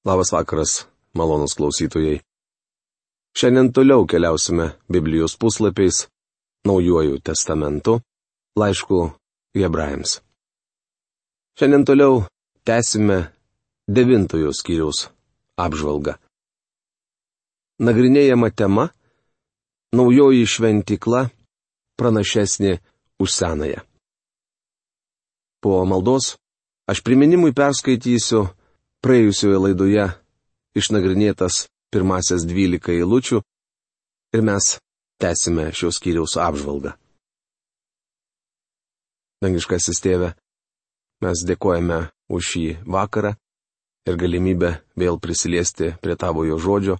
Labas vakaras, malonūs klausytojai. Šiandien toliau keliausime Biblijos puslapiais, Naujuoju testamentu, laišku Hebrajams. Šiandien toliau tęsime 9 skyriaus apžvalgą. Nagrinėjama tema - Naujoji šventykla pranašesnė už senąją. Po maldos aš priminimui perskaitysiu praėjusioje laidoje išnagrinėtas pirmasias 12 eilučių ir mes tęsime šios skyriaus apžvalgą. Dangiškasis Tėve, mes dėkojame už šį vakarą ir galimybę vėl prisiliesti prie Tavojo žodžio.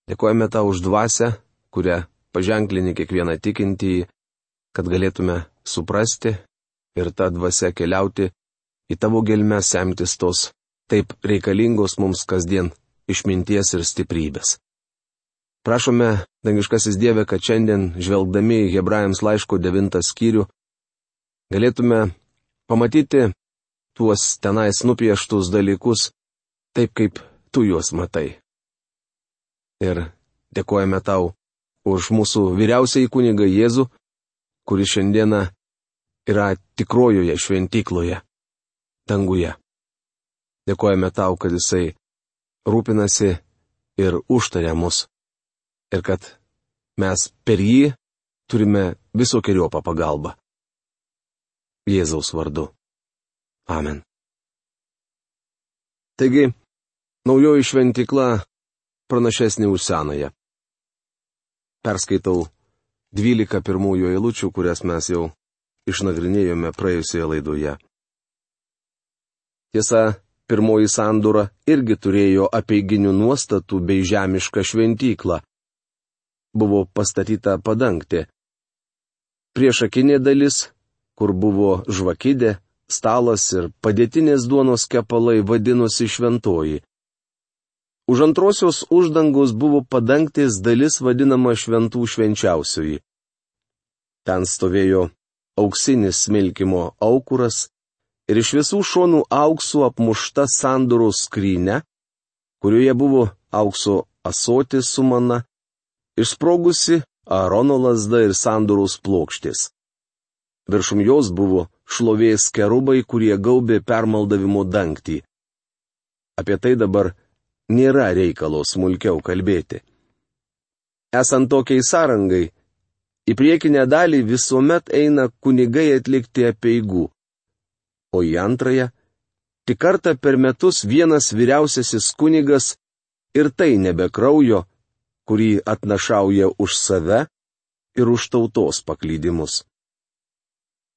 Dėkojame Tau už dvasią, kurią paženklini kiekvieną tikintįjį, kad galėtume suprasti ir tą dvasią keliauti į Tavo gelmes, semtis tos taip reikalingos mums kasdien išminties ir stiprybės. Prašome, dangiškasis Dieve, kad šiandien, žvelgdami į Hebrajams laiško 9 skyrių, galėtume pamatyti tuos tenais nupieštus dalykus taip, kaip Tu juos matai. Ir dėkojame Tau už mūsų vyriausiąjį kunigą Jėzų, kuris šiandieną yra tikrojoje šventykloje, danguje. Dėkojame Tau, kad Jisai rūpinasi ir užtaria mus, ir kad mes per jį turime visokiojopą pagalbą. Jėzaus vardu. Amen. Taigi, naujoji šventykla pranašesnė už senąją. Perskaitau 12 pirmųjų eilučių, kurias mes jau išnagrinėjome praėjusioje laidoje. Tiesa, pirmoji sandora irgi turėjo apeiginių nuostatų bei žemišką šventyklą. Buvo pastatyta padangtė. Priešakinė dalis, kur buvo žvakidė, stalas ir padėtinės duonos kepalai, vadinosi šventoji. Už antrosios uždangos buvo padangtės dalis vadinama šventų švenčiausioji. Ten stovėjo auksinis smilkimo aukuras ir iš visų šonų auksu apmušta sandoros skrynia, kurioje buvo aukso ąsotis su mana, išsprogusi Aarono lazda ir sandoros plokštės. Viršum jos buvo šlovės kerubai, kurie gaubė permaldavimo dangtį. Apie tai dabar nėra reikalo smulkiau kalbėti. Esant tokiai sąrangai, į priekinę dalį visuomet eina kunigai atlikti apeigų, o į antrąją tik kartą per metus vienas vyriausiasis kunigas ir tai nebe kraujo, kurį atnašauja už save ir už tautos paklydimus.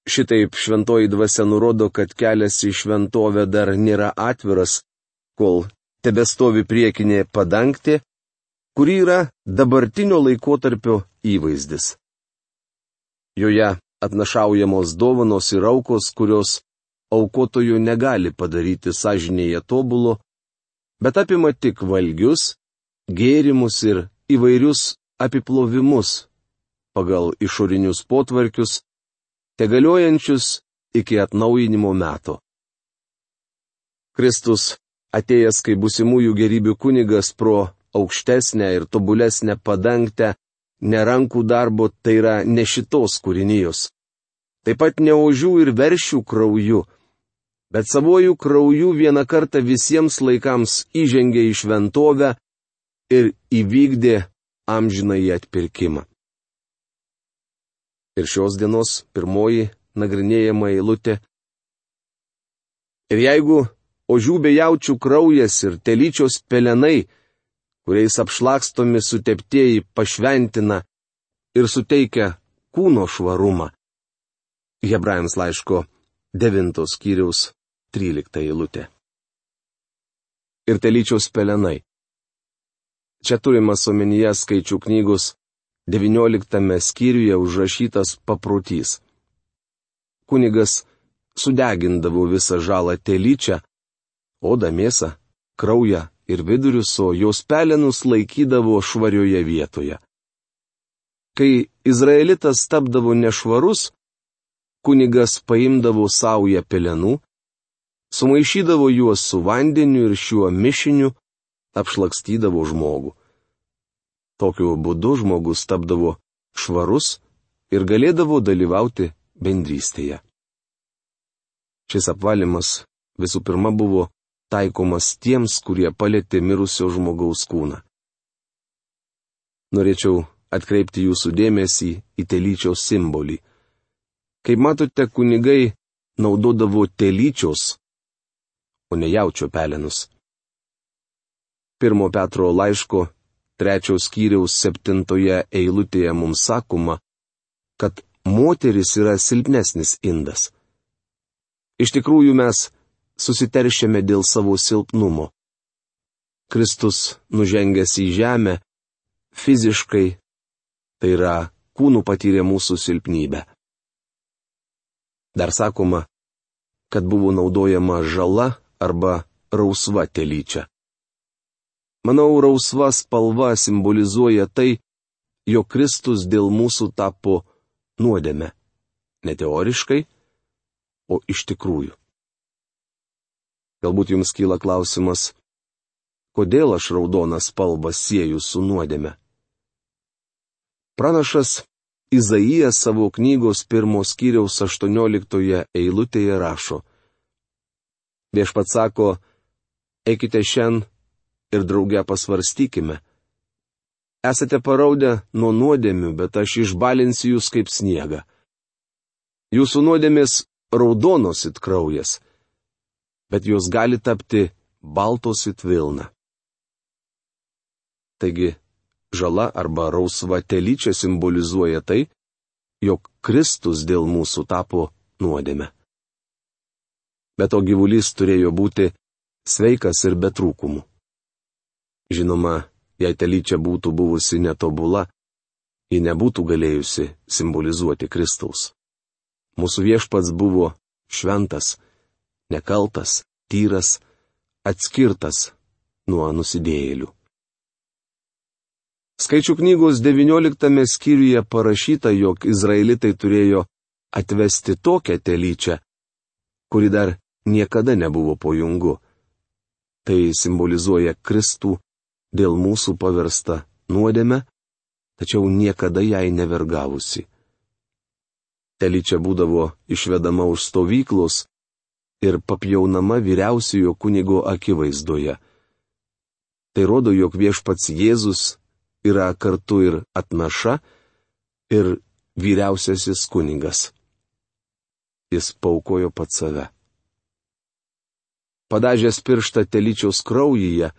Šitaip šventoji dvasia nurodo, kad kelias į šventovę dar nėra atviras, kol tebestovi priekinė padangtė, kuri yra dabartinio laikotarpio įvaizdis. Joje atnašaujamos dovanos ir aukos, kurios aukotojų negali padaryti sąžinėje tobulo, bet apima tik valgius, gėrimus ir įvairius apiplovimus pagal išorinius potvarkius, tegaliojančius iki atnaujinimo meto. Kristus, atėjęs kaip būsimųjų gerybių kunigas pro aukštesnę ir tobulesnę padangtę, ne rankų darbo, tai yra ne šitos kūrinijos. Taip pat ne ožių ir veršių krauju, bet savojų krauju vieną kartą visiems laikams įžengė į šventovę ir įvykdė amžinąjį atpirkimą. Ir šios dienos pirmoji nagrinėjama eilutė. Ir jeigu ožių bei jaučių kraujas ir telyčios pelenai, kuriais apšlakstomi suteptieji, pašventina ir suteikia kūno švarumą. Hebrajams laiško 9 skyriaus 13 eilutė. Ir telyčios pelenai. Čia turimas omenyje Skaičių knygos 19 skyriuje užrašytas paprotys. Kunigas sudegindavo visą žalą telyčią, odą, mėsą, kraują ir vidurius, o jos pelenus laikydavo švarioje vietoje. Kai izraelitas tapdavo nešvarus, kunigas paimdavo saują pelenų, sumaišydavo juos su vandeniu ir šiuo mišiniu apšlakstydavo žmogų. Tokiu būdu žmogus tapdavo švarus ir galėdavo dalyvauti bendrystėje. Šis apvalymas visų pirma buvo taikomas tiems, kurie palėtė mirusio žmogaus kūną. Norėčiau atkreipti jūsų dėmesį į telyčios simbolį. Kaip matote, kunigai naudodavo telyčios, o ne jaučio pelenus. 1 Petro laiško 3 skyriaus 7 eilutėje mums sakoma, kad moteris yra silpnesnis indas. Iš tikrųjų mes susiteršiame dėl savo silpnumo. Kristus nužengęs į žemę, fiziškai, tai yra kūnų patyrė mūsų silpnybę. Dar sakoma, kad buvo naudojama žala arba rausva telyčia. Manau, rausva spalva simbolizuoja tai, jog Kristus dėl mūsų tapo nuodėme. Ne teoriškai, o iš tikrųjų. Galbūt jums kyla klausimas, kodėl aš raudoną spalvą sieju su nuodėme? Pranašas Izaijas savo knygos 1 skyriaus 18 eilutėje rašo: Viešpats sako, eikite šiandien ir drauge pasvarstykime. Esate paraudę nuo nuodėmių, bet aš išbalinsiu jūs kaip sniegą. Jūsų nuodėmės raudonos it kraujas, bet jos gali tapti baltos it vilna. Taigi, žala arba rausva telyčia simbolizuoja tai, jog Kristus dėl mūsų tapo nuodėme. Bet to gyvulys turėjo būti sveikas ir be trūkumų. Žinoma, jei telyčia būtų buvusi netobula, ji nebūtų galėjusi simbolizuoti Kristaus. Mūsų viešpats buvo šventas, nekaltas, tyras, atskirtas nuo nusidėjėlių. Skaičių knygos 19 skyriuje parašyta, jog izraelitai turėjo atvesti tokią telyčią, kuri dar niekada nebuvo po jungu. Tai simbolizuoja Kristų dėl mūsų paversta nuodėme, tačiau niekada jai nevergavusi. Telyčia būdavo išvedama už stovyklos ir papjaunama vyriausiojo kunigo akivaizdoje. Tai rodo, jog viešpats Jėzus yra kartu ir atnaša, ir vyriausiasis kunigas. Jis paaukojo pats save. Padažęs pirštą telyčios kraujyje,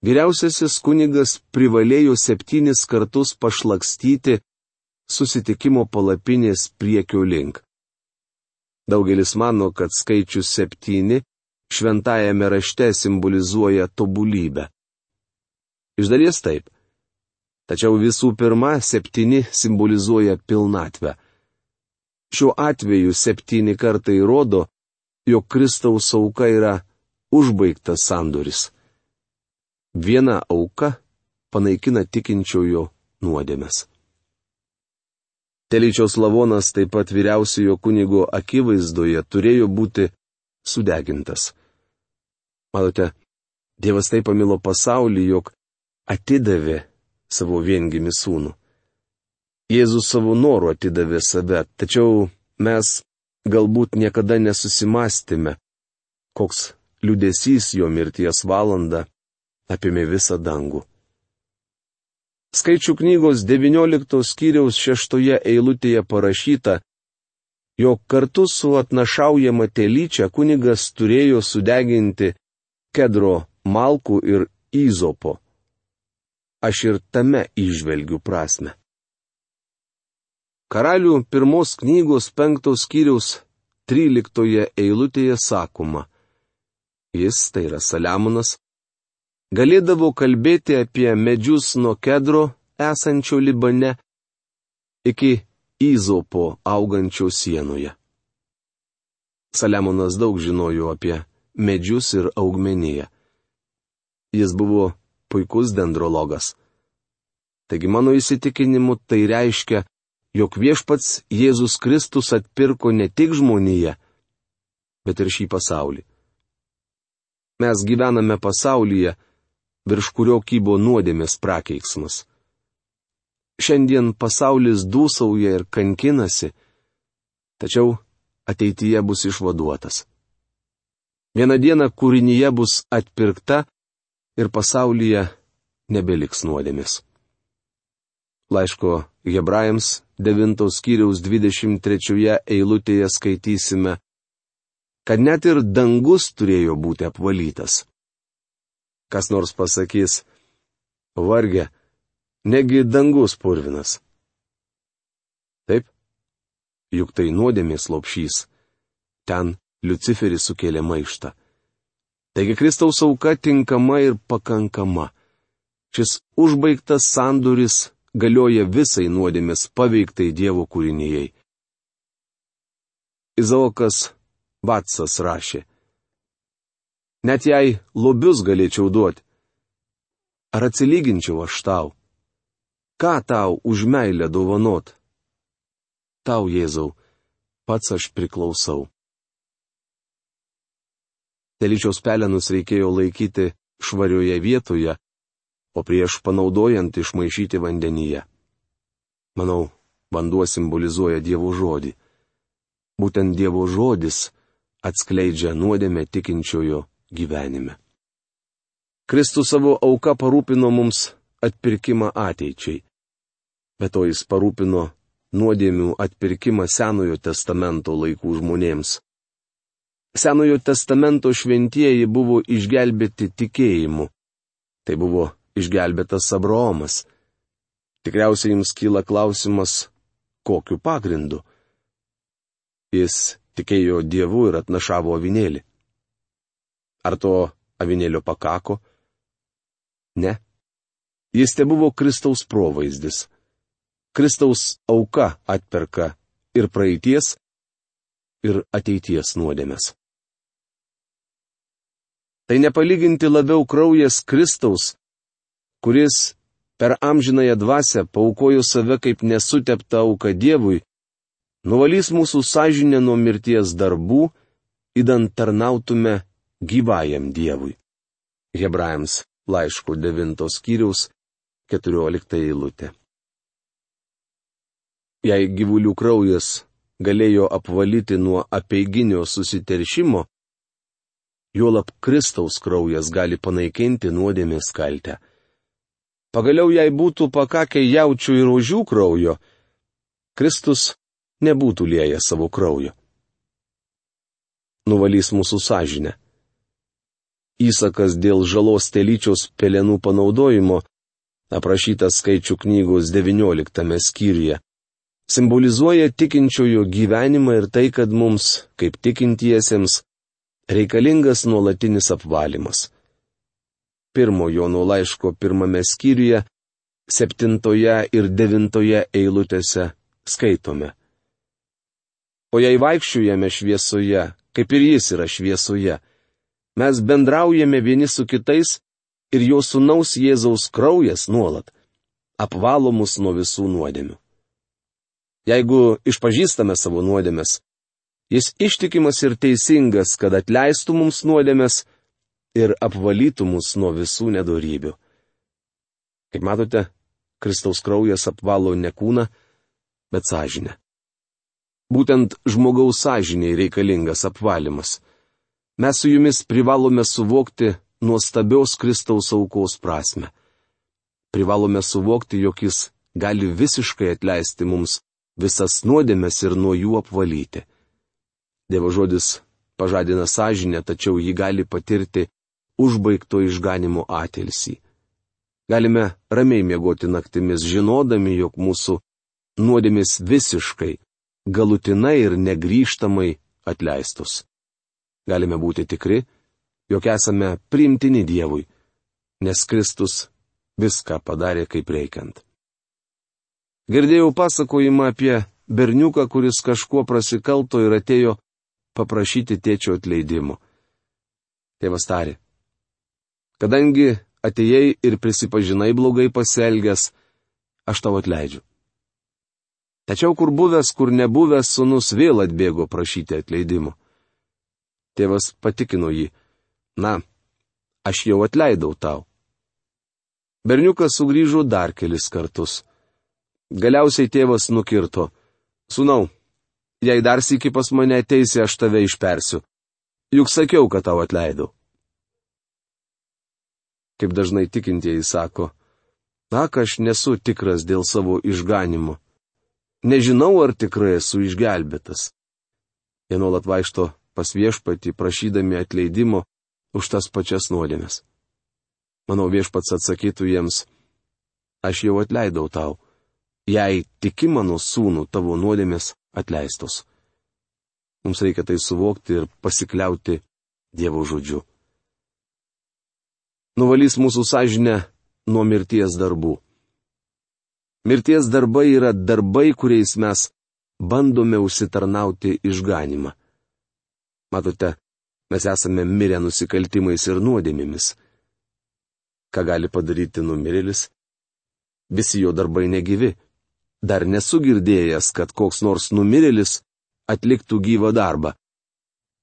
vyriausiasis kunigas privalėjo 7 kartus pašlakstyti susitikimo palapinės priekio link. Daugelis mano, kad skaičius 7 šventajame rašte simbolizuoja tobulybę. Iš dalies taip. Tačiau visų pirma 7 simbolizuoja pilnatvę. Šiuo atveju 7 kartai rodo, jog Kristaus auka yra užbaigtas sandoris. Viena auka panaikina tikinčiojo nuodėmes. Telyčios lavonas taip pat vyriausiojo kunigo akivaizdoje turėjo būti sudegintas. Matote, Dievas taip pamilo pasaulį, jog atidavė savo viengimį sūnų. Jėzus savo noru atidavė save, tačiau mes galbūt niekada nesusimastėme, koks liūdesys jo mirties valanda apėmė visą dangų. Skaičių knygos 19 skyriaus 6 eilutėje parašyta, jog kartu su atnašaujama telyčia kunigas turėjo sudeginti kedro malkų ir įzopo. Aš ir tame įžvelgiu prasmę. Karalių 1 knygos 5 skyriaus 13 eilutėje sakoma, jis, tai yra Saliamonas, galėdavo kalbėti apie medžius nuo kedro esančio Libane iki įzopo augančio sienoje. Saliamonas daug žinojo apie medžius ir augmeniją. Jis buvo puikus dendrologas. Taigi mano įsitikinimu tai reiškia, jog viešpats Jėzus Kristus atpirko ne tik žmoniją, bet ir šį pasaulį. Mes gyvename pasaulyje, virš kurio kybo nuodėmės prakeiksmas. Šiandien pasaulis dūsauja ir kankinasi, tačiau ateityje bus išvaduotas. Vieną dieną kūrinyje bus atpirkta ir pasaulyje nebeliks nuodėmės. Laiško Hebrajams 9 skyriaus 23 eilutėje skaitysime, kad net ir dangus turėjo būti apvalytas. Kas nors pasakys, varge, negi dangus purvinas. Taip, juk tai nuodėmės lopšys. Ten Liuciferis sukėlė maištą. Taigi Kristaus auka tinkama ir pakankama. Šis užbaigtas sandoris galioja visai nuodėmės paveiktai Dievo kūrinijai. Izaokas Vatsas rašė, net jei lobius galėčiau duoti, ar atsilyginčiau aš tau? Ką tau už meilę dovanot? Tau, Jėzau, pats aš priklausau. Telyčiaus pelenus reikėjo laikyti švarioje vietoje, o prieš panaudojant išmaišyti vandenyje. Manau, vanduo simbolizuoja Dievo žodį. Būtent Dievo žodis atskleidžia nuodėmę tikinčiojo gyvenime. Kristus savo auka parūpino mums atpirkimą ateičiai. Be to jis parūpino nuodėmių atpirkimą Senojo testamento laikų žmonėms. Senojo testamento šventieji buvo išgelbėti tikėjimu. Tai buvo išgelbėtas Abraomas. Tikriausiai jums kyla klausimas, kokiu pagrindu. Jis tikėjo Dievu ir atnašavo avinėlį. Ar to avinėlio pakako? Ne. Jis tebuvo Kristaus provaizdis. Kristaus auka atperka ir praeities, ir ateities nuodėmes. Tai nepalyginti labiau kraujas Kristaus, kuris per amžinąją dvasią paaukojo save kaip nesuteptą auką Dievui, nuvalys mūsų sąžinę nuo mirties darbų, idant tarnautume gyvajam Dievui. Hebrajams laiško 9 skyriaus 14 eilutė. Jei gyvulių kraujas galėjo apvalyti nuo apeiginio susiteršimo, juolab Kristaus kraujas gali panaikinti nuodėmės kaltę. Pagaliau, jei būtų pakakę jaučių ir ožių kraujo, Kristus nebūtų liejęs savo kraujo. Nuvalys mūsų sąžinę. Įsakas dėl žalos telyčiaus pelenų panaudojimo, aprašytas Skaičių knygos 19 skyriuje, simbolizuoja tikinčiojo gyvenimą ir tai, kad mums, kaip tikintiesiems, reikalingas nuolatinis apvalymas. 1 Jono laiško 1 skyriuje, 7 ir 9 eilutėse skaitome. O jei vaikščiojame šviesoje, kaip ir jis yra šviesoje, mes bendraujame vieni su kitais ir jo sūnaus Jėzaus kraujas nuolat apvalo mus nuo visų nuodėmių. Jeigu išpažįstame savo nuodėmes, jis ištikimas ir teisingas, kad atleistų mums nuodėmes ir apvalytų mus nuo visų nedorybių. Kaip matote, Kristaus kraujas apvalo ne kūną, bet sąžinę. Būtent žmogaus sąžiniai reikalingas apvalymas. Mes su jumis privalome suvokti nuostabios Kristaus aukos prasme. Privalome suvokti, jog jis gali visiškai atleisti mums visas nuodėmes ir nuo jų apvalyti. Dievo žodis pažadina sąžinę, tačiau jį gali patirti užbaigto išganimo atilsį. Galime ramiai miegoti naktimis, žinodami, jog mūsų nuodėmės visiškai, galutinai ir negrįžtamai atleistus. Galime būti tikri, jog esame priimtini Dievui, nes Kristus viską padarė kaip reikiant. Girdėjau pasakojimą apie berniuką, kuris kažkuo prasikalto ir atėjo paprašyti tėčio atleidimo. Tėvas tarė, kadangi atėjai ir prisipažinai blogai pasielgęs, aš tau atleidžiu. Tačiau kur buvęs, kur nebuvęs sūnus vėl atbėgo prašyti atleidimo. Tėvas patikino jį, na, aš jau atleidau tau. Berniukas sugrįžo dar kelis kartus. Galiausiai tėvas nukirto: Sūnau, jei dar sykį pas mane ateisi, aš tave išpersiu. Juk sakiau, kad tau atleidau. Kaip dažnai tikintieji sako: Ak, aš nesu tikras dėl savo išganimo. Nežinau, ar tikrai esu išgelbėtas. Jie nuolat vaikšto pas Viešpatį, prašydami atleidimo už tas pačias nuodėmes. Manau, Viešpats atsakytų jiems: Aš jau atleidau tau. Jei tiki mano sūnų, tavo nuodėmės atleistos. Mums reikia tai suvokti ir pasikliauti Dievo žodžiu. Nuvalys mūsų sąžinę nuo mirties darbų. Mirties darbai yra darbai, kuriais mes bandome užsitarnauti išganimą. Matote, mes esame mirę nusikaltimais ir nuodėmėmis. Ką gali padaryti numirėlis? Visi jo darbai negyvi. Dar nesu girdėjęs, kad koks nors numirėlis atliktų gyvą darbą.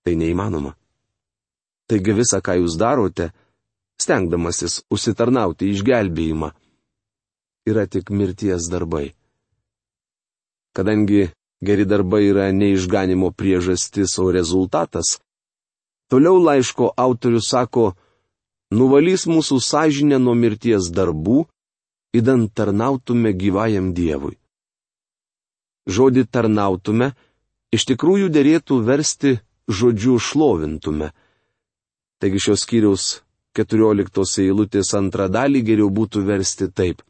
Tai neįmanoma. Taigi visa, ką jūs darote, stengdamasis užsitarnauti išgelbėjimą, yra tik mirties darbai. Kadangi geri darbai yra ne išganimo priežastis, o rezultatas, toliau laiško autorius sako: nuvalys mūsų sąžinę nuo mirties darbų, idant tarnautume gyvajam Dievui. Žodį tarnautume iš tikrųjų derėtų versti žodžiu šlovintume. Taigi šios skyriaus 14 eilutės antrą dalį geriau būtų versti taip: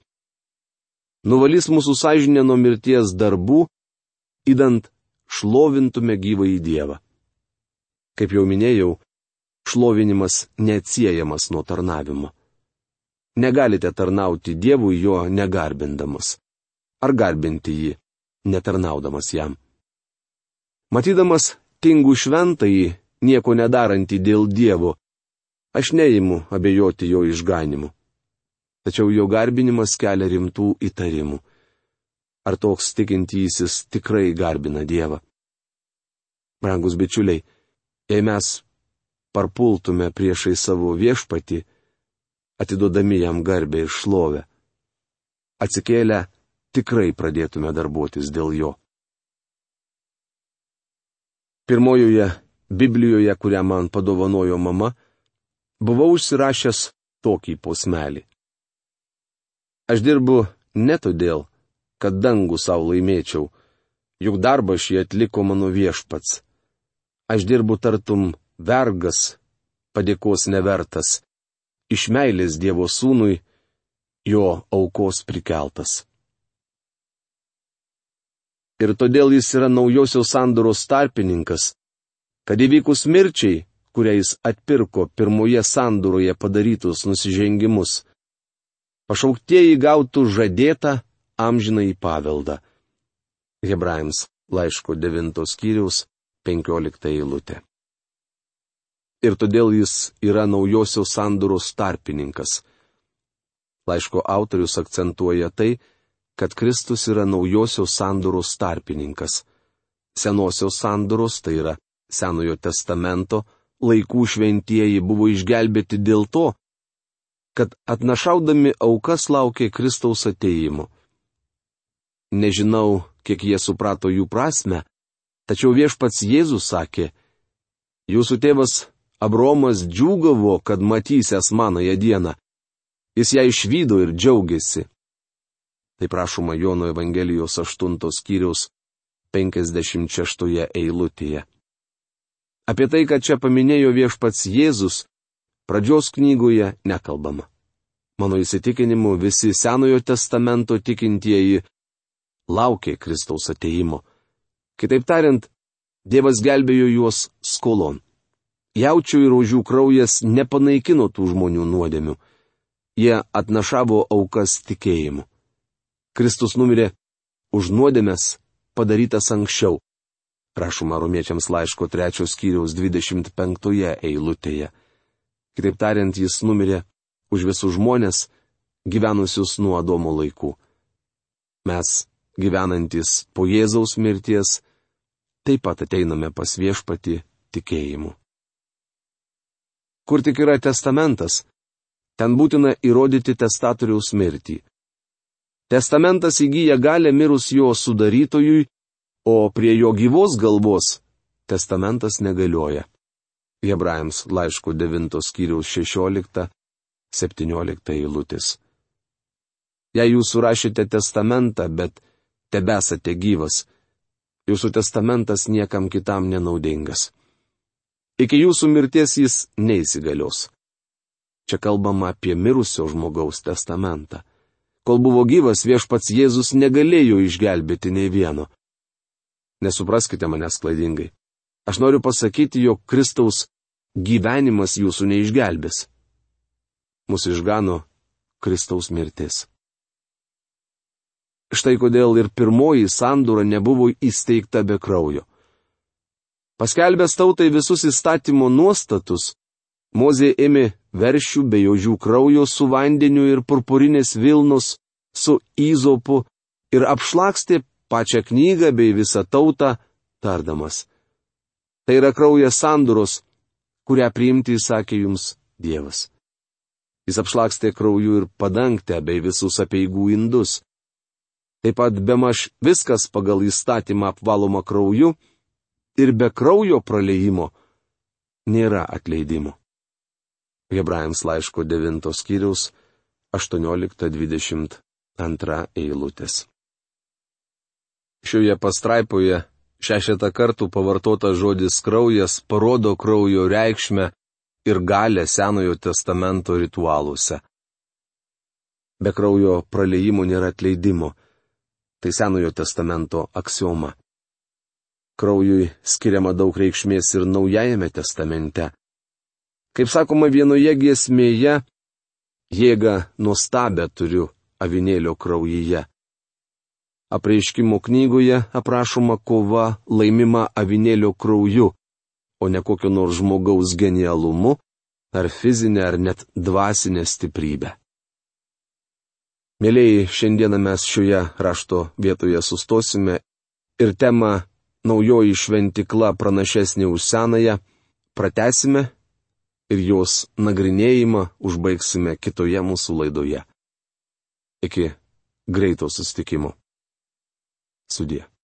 nuvalys mūsų sąžinę nuo mirties darbų, idant šlovintume gyvąjį Dievą. Kaip jau minėjau, šlovinimas neatsiejamas nuo tarnavimo. Negalite tarnauti Dievui jo negarbindamas. Ar garbinti jį, netarnaudamas jam. Matydamas tingų šventąjį, nieko nedarantį dėl Dievo, aš neimu abejoti jo išganimu. Tačiau jo garbinimas kelia rimtų įtarimų. Ar toks tikintysis tikrai garbina Dievą? Brangus bičiuliai, jei mes parpultume priešai savo Viešpatį, atiduodami jam garbę ir šlovę, atsikėlę tikrai pradėtume darbuotis dėl jo. Pirmojoje Biblijoje, kurią man padovanojo mama, buvau užsirašęs tokį posmelį. Aš dirbu ne todėl, kad dangų savo laimėčiau, juk darbą šį atliko mano Viešpats. Aš dirbu tartum vergas, padėkos nevertas, iš meilės Dievo sūnui, jo aukos prikeltas. Ir todėl jis yra naujosios sandoros tarpininkas, kad įvykus mirčiai, kuriais atpirko pirmoje sandoroje padarytus nusižengimus, pašauktieji gautų žadėtą amžinąjį paveldą. Hebrajams laiško 9 skyriaus 15 eilutė. Ir todėl jis yra naujosios sandoros tarpininkas. Laiško autorius akcentuoja tai, kad Kristus yra naujosios sandoros tarpininkas. Senosios sandoros, tai yra Senojo testamento, laikų šventieji buvo išgelbėti dėl to, kad atnašaudami aukas laukė Kristaus atėjimo. Nežinau, kiek jie suprato jų prasme, tačiau Viešpats Jėzus sakė: jūsų tėvas Abraomas džiūgavo, kad matysęs manąją dieną. Jis ją išvydo ir džiaugiasi. Tai prašoma Jono Evangelijos 8 skyriaus 56 eilutėje. Apie tai, kad čia paminėjo Viešpats Jėzus, pradžios knygoje nekalbama. Mano įsitikinimu, visi Senojo testamento tikintieji laukė Kristaus atėjimo. Kitaip tariant, Dievas gelbėjo juos skolon. Jaučių ir ožių kraujas nepanaikino tų žmonių nuodėmių. Jie atnašavo aukas tikėjimu. Kristus numirė už nuodėmes padarytas anksčiau. Rašoma Romiečiams laiško 3 skyriaus 25 eilutėje. Kitaip tariant, jis numirė už visus žmonės, gyvenusius nuo Adomo laikų. Mes, gyvenantis po Jėzaus mirties, taip pat ateiname pas Viešpatį tikėjimu. Kur tik yra testamentas, ten būtina įrodyti testatoriaus mirtį. Testamentas įgyja galę mirus jo sudarytojui, o prie jo gyvos galvos testamentas negalioja. Hebrajams laiško 9 skyriaus 16-17 eilutės. Jei jūs surašėte testamentą, bet tebesate gyvas, jūsų testamentas niekam kitam nenaudingas. Iki jūsų mirties jis neįsigalios. Čia kalbama apie mirusio žmogaus testamentą. Kol buvo gyvas, viešpats Jėzus negalėjo išgelbėti nei vieno. Nesupraskite manęs klaidingai. Aš noriu pasakyti, jog Kristaus gyvenimas jūsų neišgelbės. Mūsų išgano Kristaus mirtis. Štai kodėl ir pirmoji sandora nebuvo įsteigta be kraujo. Paskelbęs tautai visus įstatymo nuostatus, Mozė ėmė veršių bei ožių kraujo su vandeniu ir purpurinės vilnos su įzopu ir apšlakstė pačią knygą bei visą tautą, tardamas: Tai yra kraujas sandoros, kurią priimti įsakė jums Dievas. Jis apšlakstė krauju ir padangtę bei visus apeigų indus. Taip pat bemaž viskas pagal įstatymą apvaloma krauju ir be kraujo praliejimo nėra atleidimo. Hebrajams laiško 9 skyriaus 18-22 eilutės. Šioje pastraipoje 6 kartų pavartotas žodis kraujas parodo kraujo reikšmę ir galę Senojo testamento ritualuose. Be kraujo praliejimo nėra atleidimo. Tai Senojo testamento aksioma. Kraujui skiriama daug reikšmės ir Naujajame testamente. Kaip sakoma vienoje giesmėje, jėgą nuostabę turiu avinėlio kraujyje. Apreiškimo knygoje aprašoma kova laimima avinėlio krauju, o ne kokio nors žmogaus genialumu, ar fizinė, ar net dvasinė stiprybė. Mėlėjai, šiandieną mes šioje rašto vietoje sustosime ir temą Naujoji šventykla pranašesnė už senąją pratęsime ir jos nagrinėjimą užbaigsime kitoje mūsų laidoje. Iki greito susitikimo. Sudie.